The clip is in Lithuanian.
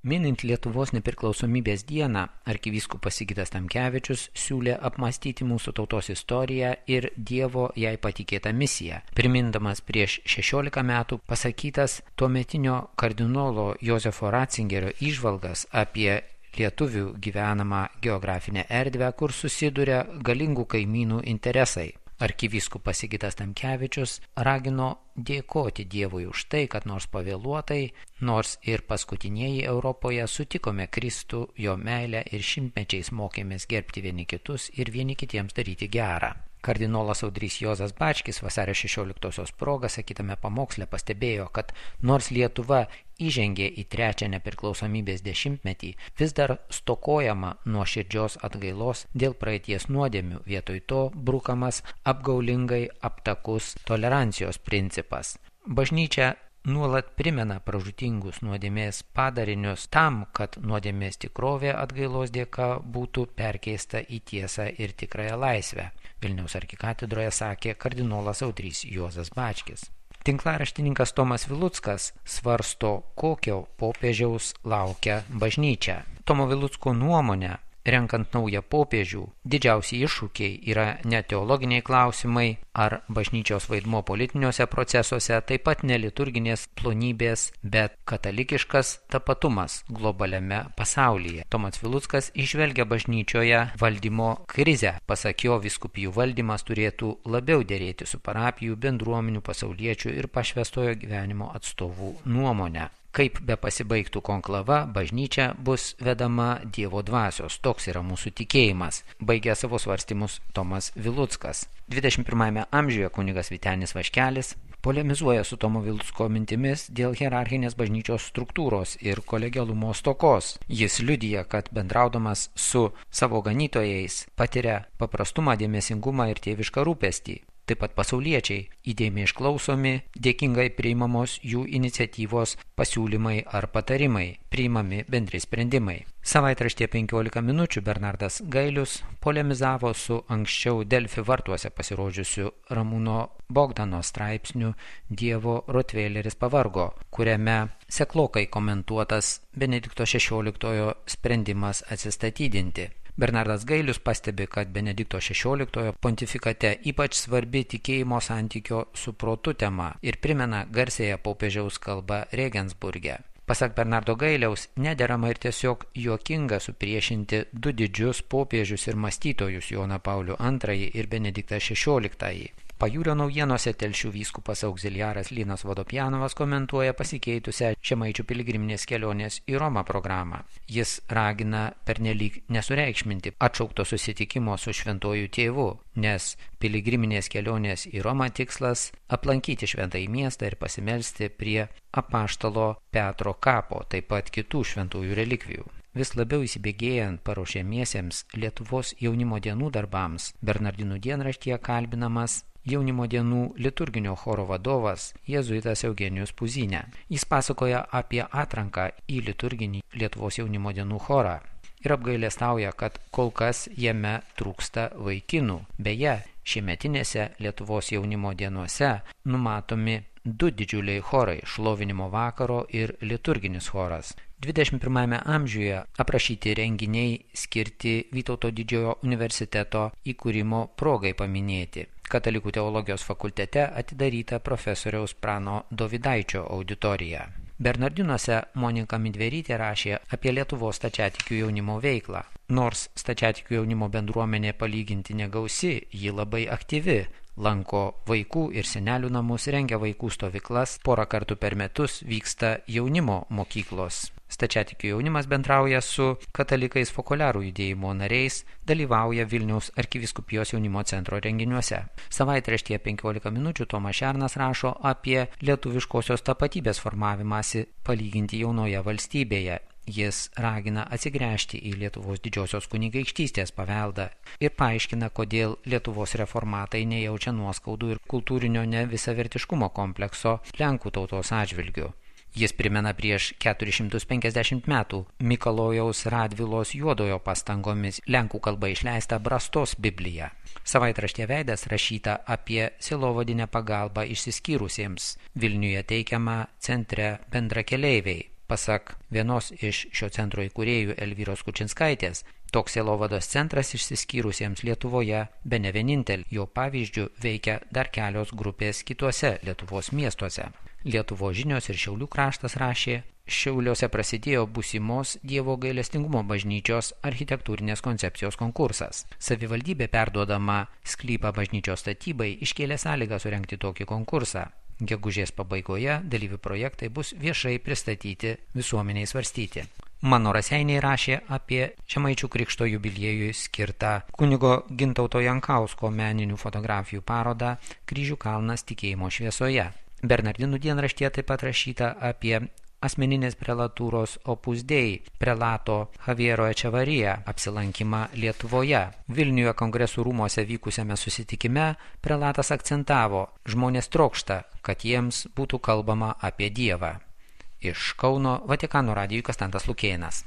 Minint Lietuvos nepriklausomybės dieną, arkivyskupas Sigitas Tamkevičius siūlė apmąstyti mūsų tautos istoriją ir Dievo jai patikėtą misiją, primindamas prieš 16 metų pasakytas tuometinio kardinolo Jozefo Ratzingerio įžvalgas apie lietuvių gyvenamą geografinę erdvę, kur susiduria galingų kaimynų interesai. Arkivyskupas Sigitas Tamkevičius ragino dėkoti Dievui už tai, kad nors pavėluotai, nors ir paskutinieji Europoje sutikome Kristų, jo meilę ir šimtmečiais mokėmės gerbti vieni kitus ir vieni kitiems daryti gerą. Kardinolas Audrys Juozas Bačkis vasario 16-osios proga sakytame pamoksle pastebėjo, kad nors Lietuva įžengė į trečią nepriklausomybės dešimtmetį, vis dar stokojama nuoširdžios atgailos dėl praeities nuodėmių, vietoj to brukamas apgaulingai aptakus tolerancijos principas. Bažnyčia nuolat primena pražūtingus nuodėmės padarinius tam, kad nuodėmės tikrovė atgailos dėka būtų perkeista į tiesą ir tikrąją laisvę. Vilniaus arkikatedroje sakė kardinolas Audrys Juozas Bačkis. Tinklaraštininkas Tomas Viluckas svarsto, kokio popiežiaus laukia bažnyčia. Tomo Vilucko nuomonė, renkant naują popiežių, didžiausi iššūkiai yra ne teologiniai klausimai ar bažnyčios vaidmuo politiniuose procesuose, taip pat ne liturginės plonybės, bet katalikiškas tapatumas globaliame pasaulyje. Tomas Viluckas išvelgia bažnyčioje valdymo krizę. Pasak jo, vyskupijų valdymas turėtų labiau derėti su parapijų, bendruomenių, pasauliečių ir pašvęstojo gyvenimo atstovų nuomonę. Kaip be pasibaigtų konklava, bažnyčia bus vedama Dievo dvasios. Toks yra mūsų tikėjimas, baigė savo svarstymus Tomas Viluckas. 21 amžiuje kunigas Vytenis Vaškelis polemizuoja su Tomo Vilucko mintimis dėl hierarchinės bažnyčios struktūros ir kolegialumo stokos. Jis liudija, kad bendraudamas su savo ganytojais patiria paprastumą, dėmesingumą ir tėvišką rūpestį. Taip pat pasauliečiai įdėmiai išklausomi, dėkingai priimamos jų iniciatyvos, pasiūlymai ar patarimai, priimami bendri sprendimai. Savaitraštyje 15 minučių Bernardas Gailius polemizavo su anksčiau Delfi vartuose pasirodžiusiu Ramūno Bogdano straipsniu Dievo Rotveileris pavargo, kuriame seklokai komentuotas Benedikto XVI sprendimas atsistatydinti. Bernardas Gailius pastebi, kad Benedikto XVI pontifikate ypač svarbi tikėjimo santykio su protu tema ir primena garsėją popiežiaus kalbą Regensburge. Pasak Bernardo Gailiaus, nederama ir tiesiog juokinga supriešinti du didžius popiežius ir mąstytojus Joną Paulių II ir Benediktą XVI. Pajūrio naujienose Telšių vyskupas auxiliaras Linas Vodopjanovas komentuoja pasikeitusią Žemaičių piligriminės kelionės į Romą programą. Jis ragina pernelyg nesureikšminti atšaukto susitikimo su šventuoju tėvu, nes piligriminės kelionės į Romą tikslas aplankyti šventąjį miestą ir pasimelsti prie apaštalo Petro kapo, taip pat kitų šventųjų relikvijų. Vis labiau įsibėgėjant paruošiamiesiems Lietuvos jaunimo dienų darbams, Bernardinų dienraštyje kalbinamas jaunimo dienų liturginio choro vadovas jėzuitas Eugenijus Puzinė. Jis pasakoja apie atranką į liturginį Lietuvos jaunimo dienų chorą ir apgailestauja, kad kol kas jame trūksta vaikinų. Beje, šiemetinėse Lietuvos jaunimo dienose numatomi du didžiuliai chorai – šlovinimo vakaro ir liturginis choras. 21 amžiuje aprašyti renginiai skirti Vytauto didžiojo universiteto įkūrimo progai paminėti. Katalikų teologijos fakultete atidaryta profesoriaus Prano Dovydaičio auditorija. Bernardinuose Monika Midverytė rašė apie Lietuvos stačiatikių jaunimo veiklą. Nors stačiatikių jaunimo bendruomenė palyginti negausi, ji labai aktyvi. Lanko vaikų ir senelių namus, rengia vaikų stovyklas, porą kartų per metus vyksta jaunimo mokyklos. Stačiatikių jaunimas bendrauja su katalikais fokuliarų judėjimo nariais, dalyvauja Vilniaus arkivyskupijos jaunimo centro renginiuose. Savaitraštyje 15 minučių Tomas Šernas rašo apie lietuviškosios tapatybės formavimąsi palyginti jaunoje valstybėje. Jis ragina atsigręžti į Lietuvos didžiosios kunigaikštystės paveldą ir paaiškina, kodėl Lietuvos reformatai nejaučia nuoskaudų ir kultūrinio nevisavertiškumo komplekso Lenkų tautos atžvilgiu. Jis primena prieš 450 metų Mikalojaus Radvilos Juodojo pastangomis lenkų kalba išleistą Brastos Bibliją. Savaitraštyje Veidas rašyta apie sielovadinę pagalbą išsiskyrusiems, Vilniuje teikiamą centre bendrakeleiviai. Pasak vienos iš šio centro įkūrėjų Elvyros Kučinskaitės, toks sielovados centras išsiskyrusiems Lietuvoje bene vienintel, jo pavyzdžių veikia dar kelios grupės kituose Lietuvos miestuose. Lietuvos žinios ir Šiaulių kraštas rašė, Šiauliuose prasidėjo būsimos Dievo gailestingumo bažnyčios architektūrinės koncepcijos konkursas. Savivaldybė perduodama sklypą bažnyčios statybai iškėlė sąlygą surengti tokį konkursą. Gegužės pabaigoje dalyvių projektai bus viešai pristatyti, visuomeniai svarstyti. Mano Raseiniai rašė apie Žemaičių krikšto jubiliejui skirtą kunigo Gintauto Jankausko meninių fotografijų parodą Kryžių kalnas tikėjimo šviesoje. Bernardinų dienraštyje taip pat rašyta apie asmeninės prelatūros Opus Dei prelato Javiero Echevarria apsilankymą Lietuvoje. Vilniuje kongresų rūmose vykusiame susitikime prelatas akcentavo, žmonės trokšta, kad jiems būtų kalbama apie Dievą. Iš Kauno Vatikano radijui Konstantas Lukėnas.